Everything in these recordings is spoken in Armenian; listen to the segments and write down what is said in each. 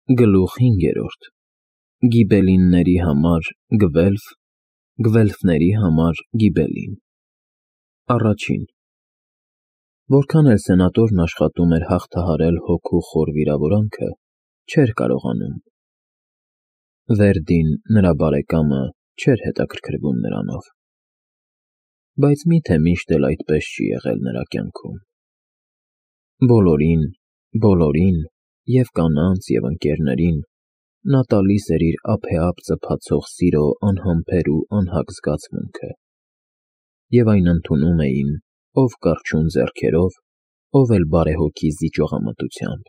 Գլուխ 5. Գիբելինների համար Գվելֆ, Գվելֆների համար Գիբելին։ Առաջին. Որքան էլ սենատորն աշխատում էր հաղթահարել հոգու խոր վիրավորանքը, չէր կարողանում։ Վերդին, նրա բարեկամը, չէր հետաքրքրվում նրանով։ Բայց մի՞թե միշտ էլ այդպես չի եղել նրա կյանքում։ Բոլորին, և կանանց, և ընկերներին նա տալիս էր իր ափեափ ծփացող սիրո անհամբեր ու անհագ զգացմունքը, և այն ընդունում էին ով կռչուն ձեռքերով, ով էլ բարեհոգի զիջողամտությամբ,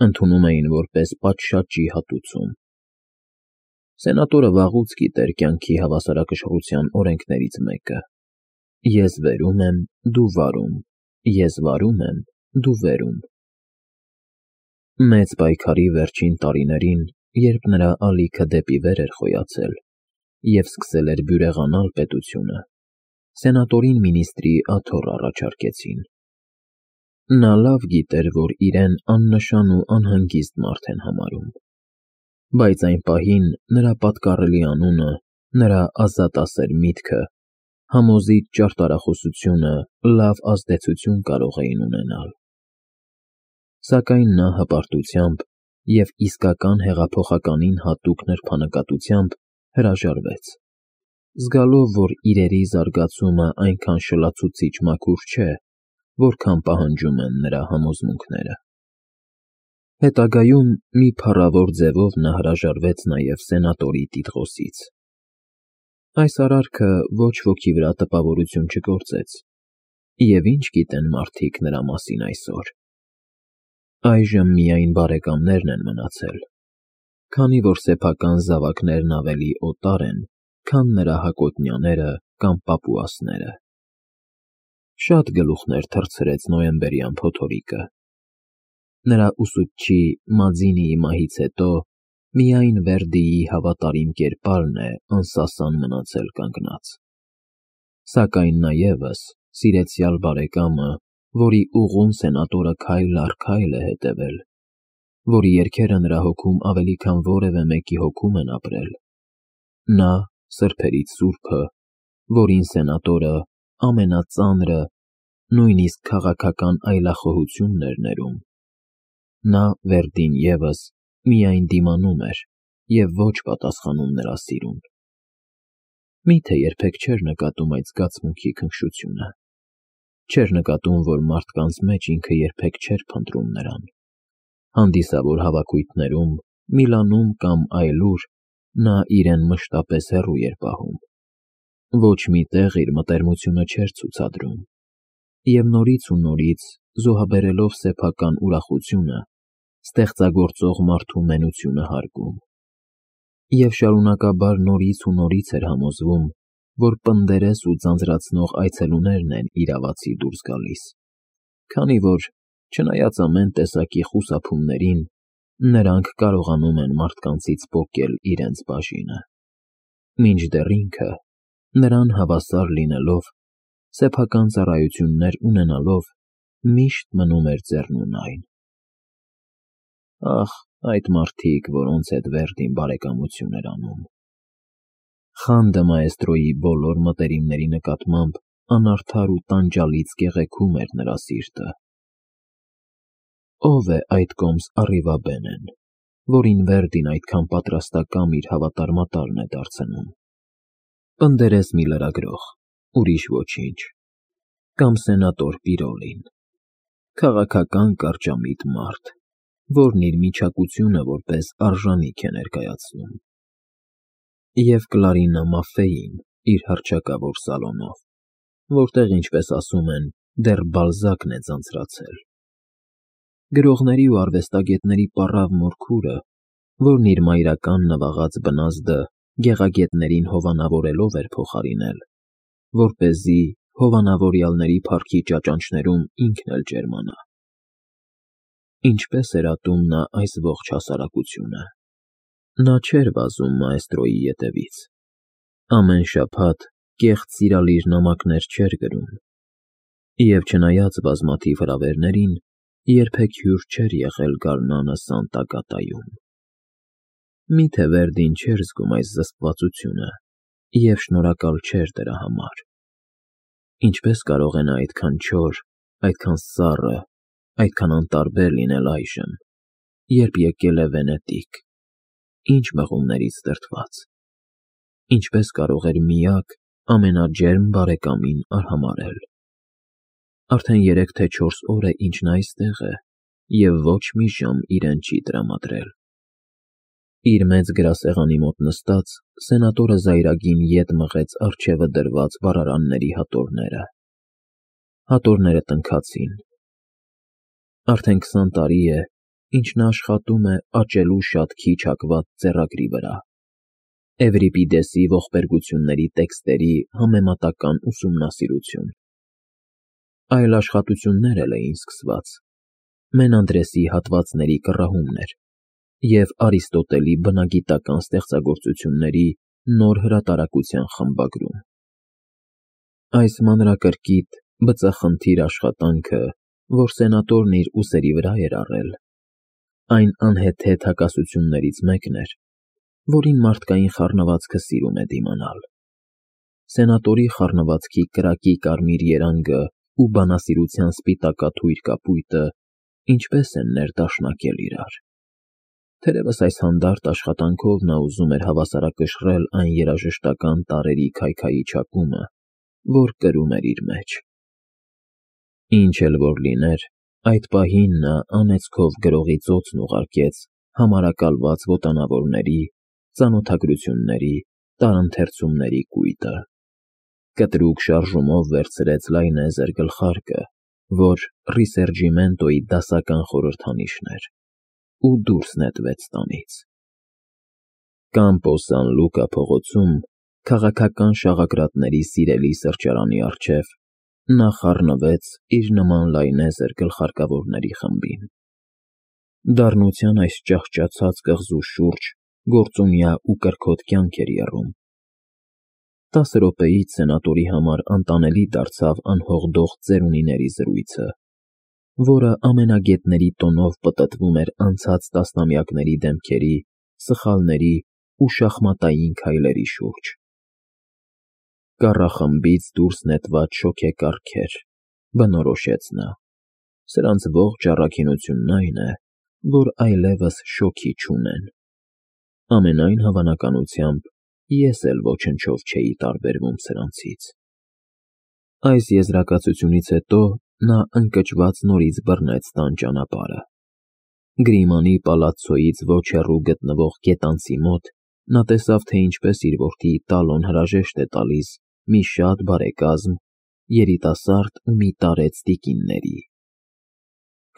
ընդունում էին որպես պատշաճի հատուցում։ Սենատորը վաղուց գիտեր կյանքի հավասարակշռության օրենքներից մեկը. ես վերում եմ, դու վարում, ես վարում եմ, դու վերում։ Մեծ պայքարի վերջին տարիներին, երբ նրա ալիքը դեպի վեր էր խոյացել և սկսել էր բյուրեղանալ պետությունը, սենատորին մինիստրի աթոռ առաջարկեցին։ Նա լավ գիտեր, որ իրեն աննշան ու անհանգիստ մարդ են համարում, բայց այն պահին նրա պատկառելի անունը, նրա ազատասեր միտքը, համոզիչ ճարտարախոսությունը լավ ազդեցություն կարող էին ունենալ։ Սակայն նա հպարտությամբ և իսկական հեղափոխականին հատուկ նրբանկատությամբ հրաժարվեց, զգալով, որ իրերի զարգացումը այնքան շլացուցիչ մաքուր չէ, որքան պահանջում են նրա համոզմունքները։ Հետագայում մի փառավոր ձևով նա հրաժարվեց նաև սենատորի տիտղոսից։ Այս արարքը ոչ ոքի վրա տպավորություն չգործեց, և ինչ գիտեն մարդիկ նրա մասին այսօր։ Այժմ միայն բարեկամներն են մնացել, քանի որ սեփական զավակներն ավելի օտար են, քան նրա հակոտնյաները կամ պապուասները։ Շատ գլուխներ թռցրեց նոյեմբերյան փոթորիկը։ Նրա ուսուցչի Մաձինիի մահից հետո միայն Վերդիի հավատարիմ կերպարն է անսասան մնացել կանգնած։ Սակայն նա ևս, սիրեցյալ բարեկամը, որի ուղուն սենատորը քայլ առ քայլ է հետևել, որի երգերը նրա հոգում ավելի քան որևէ մեկի հոգում են ապրել, նա, սրբերից սուրբը, որին սենատորը ամենածանրը, նույնիսկ քաղաքական այլախոհությունն էր ներում, նա, Վերդին ևս, միայն դիմանում էր և ոչ պատասխանում նրա սիրուն։ Մի՞թե երբեք չէր նկատում այդ զգացմունքի քնքշությունը, չէր նկատում, որ մարդկանց մեջ ինքը երբեք չէր փնտրում նրան։ Հանդիսավոր հավաքույթներում, Միլանում կամ այլուր նա իրեն մշտապես հեռու էր պահում, ոչ մի տեղ իր մտերմությունը չէր ցուցադրում, և նորից ու նորից, զոհաբերելով սեփական ուրախությունը, ստեղծագործող մարդու մենությունը հարգում, և շարունակաբար նորից ու նորից էր համոզվում, որ պնդերես ու ձանձրացնող այցելուներն են իրավացի դուրս գալիս, քանի որ, չնայած ամեն տեսակի խուսափումներին, նրանք կարողանում են մարդկանցից պոկել իրենց բաժինը, մինչդեռ ինքը, նրան հավասար լինելով, սեփական ծառայություններ ունենալով, միշտ մնում էր ձեռնունայն։ Ահ, այդ մարդիկ, որոնց հետ Վերդին բարեկամություն էր անում։ Խանդը մաեստրոյի բոլոր մտերիմների նկատմամբ անարդար ու տանջալից կեղեքում էր նրա սիրտը։ Ո՞վ է այդ կոմս Առիվաբենն, որին Վերդին այդքան պատրաստակամ իր հավատարմատարն է դարձնում։ Պնդերես մի լրագրող, ուրիշ ոչինչ, կամ սենատոր Պիրոլին, քաղաքական կարճամիտ մարդ, որն իր միչակությունը որպես արժանիք է ներկայացնում, և Կլարինա Մաֆեին իր հռչակավոր սալոնով, որտեղ, ինչպես ասում են, դեռ Բալզակն է ձանձրացել։ Գրողների ու արվեստագետների պառավ Մորքուրը, որն իր մայրական նվաղած բնազդը գեղագետներին հովանավորելով էր փոխարինել, որպեսզի հովանավորյալների փառքի ճաճանճներում ինքն էլ ջերմանա։ Ինչպես էր ատում նա այս ողջ հասարակությունը։ Նա չէր վազում մաեստրոյի ետևից, ամեն շաբաթ կեղծ սիրալիր նամակներ չէր գրում, և չնայած բազմաթիվ հրավերներին, երբեք հյուր չէր եղել գարնանը Սանտա֊Կատայում։ Միթե Վերդին չէր զգում այս զսպվածությունը և շնորհակալ չէր դրա համար։ Ինչպես կարող է նա այդքան չոր, այդքան սառը, այդքան անտարբեր լինել այժմ, երբ եկել է Վենետիկ, ինչ մղումներից դրդված։ Ինչպես կարող էր միակ, ամենաջերմ բարեկամին արհամարհել։ Արդեն 3 թե 4 օր է, ինչ նա այստեղ է, և ոչ մի ժամ իրեն չի տրամադրել։ Իր մեծ գրասեղանի մոտ նստած, սենատորը զայրագին ետ մղեց առջևը դրված վառարանների հատորները։ Հատորները տնքացին։ Արդեն 20 տարի է, ինչ նա աշխատում է աճելու շատ քիչ հակված ձեռագրի վրա, Էվրիպիդեսի ողբերգությունների տեքստերի համեմատական ուսումնասիրություն։ Այլ աշխատություններ էլ էին սկսված, Մենանդրեսի հատվածների կռահումներ և Արիստոտելի բնագիտական ստեղծագործությունների նոր հրատարակության խմբագրում։ Այս մանրակրկիտ, բծախնդիր աշխատանքը, որ սենատորն իր ուսերի վրա էր առել, այն անհեթեթ հակասություններից մեկն էր, որին մարդկային խառնվածքը սիրում է դիմանալ։ Սենատորի խառնվածքի կրակի կարմիր երանգը ու բանասիրության սպիտակաթույր կապույտը ինչպես են ներդաշնակել իրար։ Թերևս այս հանդարտ աշխատանքով նա ուզում էր հավասարակշռել այն երաժշտական տարրերի քայքայի չափումը, որ կրում էր իր մեջ։ Ինչ էլ որ լիներ, այդ պահին նա անեծքով գրողի ծոցն ուղարկեց համարակալված ոտանավորների, ծանոթագրությունների, տարընթերցումների կույտը։ Կտրուկ շարժումով վերցրեց լայնեզր գլխարկը, որ Ռիսերջիմենտոյի դասական խորհրդանիշն էր, ու դուրս նետվեց տանից։ Կամպո Սան Լուկա փողոցում, քաղաքական շաղակրատների սիրելի սրճարանի առջև, նա խառնվեց իր նման լայնեզր գլխարկավորների խմբին։ Դառնության այս ճահճացած կղզու շուրջ գործունյա ու կրքոտ կյանք էր եռում։ 10 րոպեից սենատորի համար անտանելի դարձավ անհողդող ծերունիների զրույցը, որը ամենագետների տոնով պտտվում էր անցած տասնամյակների դեմքերի, սխալների ու շախմատային քայլերի շուրջ։ Կառախմբից դուրս նետված շոգեկառքեր, բնորոշեց նա, սրանց ողջ առաքինությունն այն է, որ այլևս շոգի չունեն։ Ամենայն հավանականությամբ ես էլ ոչնչով չէի տարբերվում սրանցից։ Այս եզրակացությունից հետո նա ընկճված նորից բռնեց տան ճանապարհը։ Գրիմանի պալացցոյից ոչ հեռու գտնվող գետանցի մոտ նա տեսավ, թե ինչպես իր որդի Տալոն հրաժեշտ է տալիս մի շատ բարեկազմ, երիտասարդ ու մի տարեց տիկինների։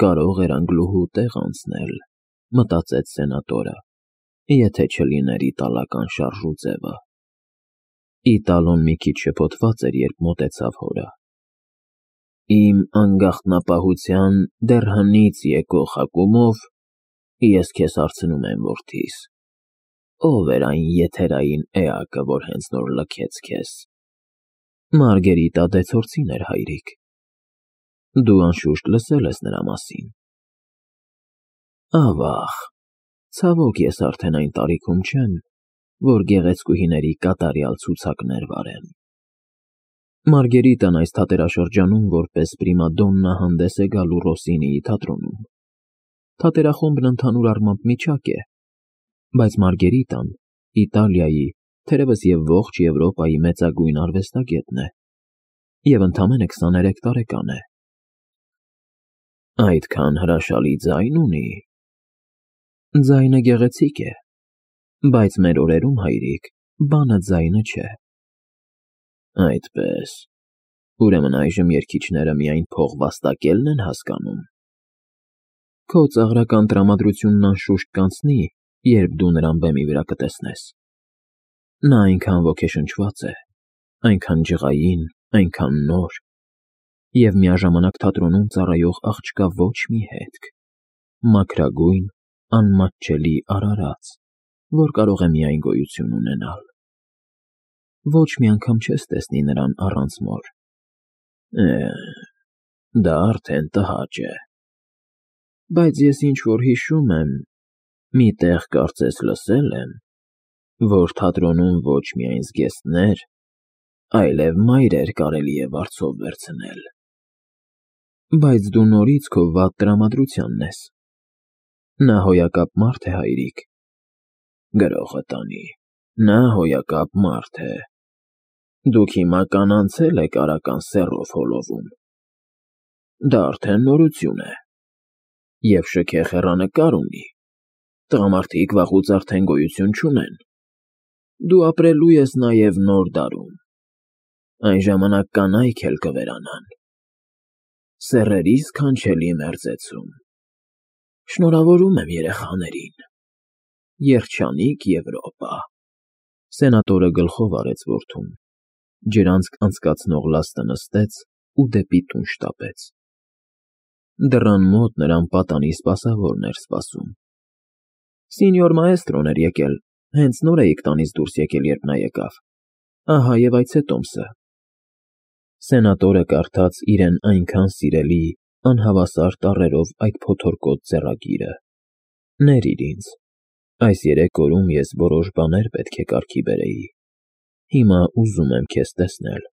Կարող էր անգլուհու տեղ անցնել, մտածեց սենատորը, եթե չլիներ իտալական շարժուձևը։ Իտալոն մի քիչ շփոթված էր, երբ մոտեցավ հորը։ Իմ անգաղտնապահության դեռ հնից եկող հակումով ես քեզ հարցնում եմ, որդիս, ո՞վ էր այն եթերային էակը, որ հենց նոր լքեց քեզ։ Մարգերիտա դե Ցորցին էր, հայրիկ։ Դու անշուշտ լսել ես նրա մասին։ Ավաղ, ցավոք ես արդեն այն տարիքում չեմ, որ գեղեցկուհիների կատարյալ ցուցակներ վարեմ։ Մարգերիտան այս թատերաշրջանում որպես պրիմադոննա հանդես է գալու Ռոսինիի թատրոնում։ Թատերախումբն ընդհանուր առմամբ միջակ է, բայց Մարգերիտան Իտալիայի, թերևս և ողջ Եվրոպայի մեծագույն արվեստագետն է, և ընդամենը 23 տարեկան է։ Այդքան հրաշալի ձայն ունի։ Ձայնը գեղեցիկ է, բայց մեր օրերում, հայրիկ, բանը ձայնը չէ։ Այդպես, ուրեմն այժմ երգիչները միայն փող վաստակելն են հասկանում։ Քո ծաղրական տրամադրությունն անշուշտ կանցնի, երբ դու նրան բեմի վրա կտեսնես։ Նա այնքան ոգեշնչված է, այնքան ջղային, այնքան նոր, և միաժամանակ թատրոնում ծառայող աղջկա ոչ մի հետք, մաքրագույն, անմատչելի արարած, որ կարող է միայն գոյություն ունենալ։ Ոչ մի անգամ չես տեսնի նրան առանց մոր։ Դա արդեն տհաճ է։ Բայց ես ինչ-որ հիշում եմ, մի տեղ կարծես լսել եմ, որ թատրոնում ոչ միայն զգեստներ, այլև մայրեր կարելի է վարձով վերցնել։ Բայց դու նորից քո վատ տրամադրությանն ես։ Նա հոյակապ մարդ է, հայրիկ։ Գրողը տանի, նա հոյակապ մարդ է։ Դուք հիմա կանանցել եք արական սեռով հոլովում։ Դա արդեն նորություն է։ Եվ շքեղ հեռանկար ունի։ Տղամարդիկ վաղուց արդեն գոյություն չունեն։ Դու ապրելու ես նաև նոր դարում։ Այն ժամանակ կանայք էլ կվերանան։ Սեռերիս քանչելի մերձեցում։ Շնորհավորում եմ երեխաներին։ Երջանիկ Եվրոպա։ Սենատորը գլխով արեց որդուն, ջրանցք անցկացնող լաստը նստեց ու դեպի տուն շտապեց։ Դռան մոտ նրան պատանի սպասավորն էր սպասում։ Սինյոր մաեստրոն էր եկել, հենց նոր էիք տանից դուրս եկել, երբ նա եկավ։ Ահա և այցե Տոմսը։ Սենատորը կարդաց իրեն այնքան սիրելի, անհավասար տառերով այդ փոթորկոտ ձեռագիրը։ Ներիր ինձ։ Այս 3 օրում ես որոշ բաներ պետք է կարգի բերեի։ Հիմա ուզում եմ քեզ տեսնել։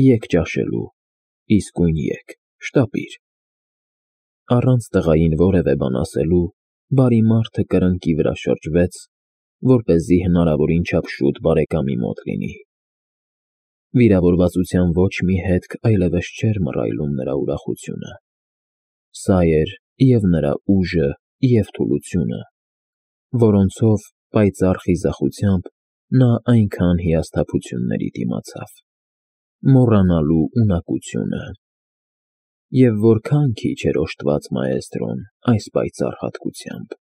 Եկ ճաշելու։ Իսկույն եկ, շտապիր։ Առանց տղային որևէ բան ասելու, բարի մարդը կրկնակի վրա շրջվեց, որպեսզի հնարավորին չափ շուտ բարեկամի մոտ լինի։ Վիրավորվածության ոչ մի հետք այլևս չէր մռայլում նրա ուրախությունը։ Սա էր և նրա ուժը, և թուլությունը, որոնցով պայծառ խիզախությամբ նա այնքան հիասթափությունների դիմացավ։ Մոռանալու ունակությունը։ Եվ որքան քիչ էր օժտված մաեստրոն այս պայծառ հատկությամբ։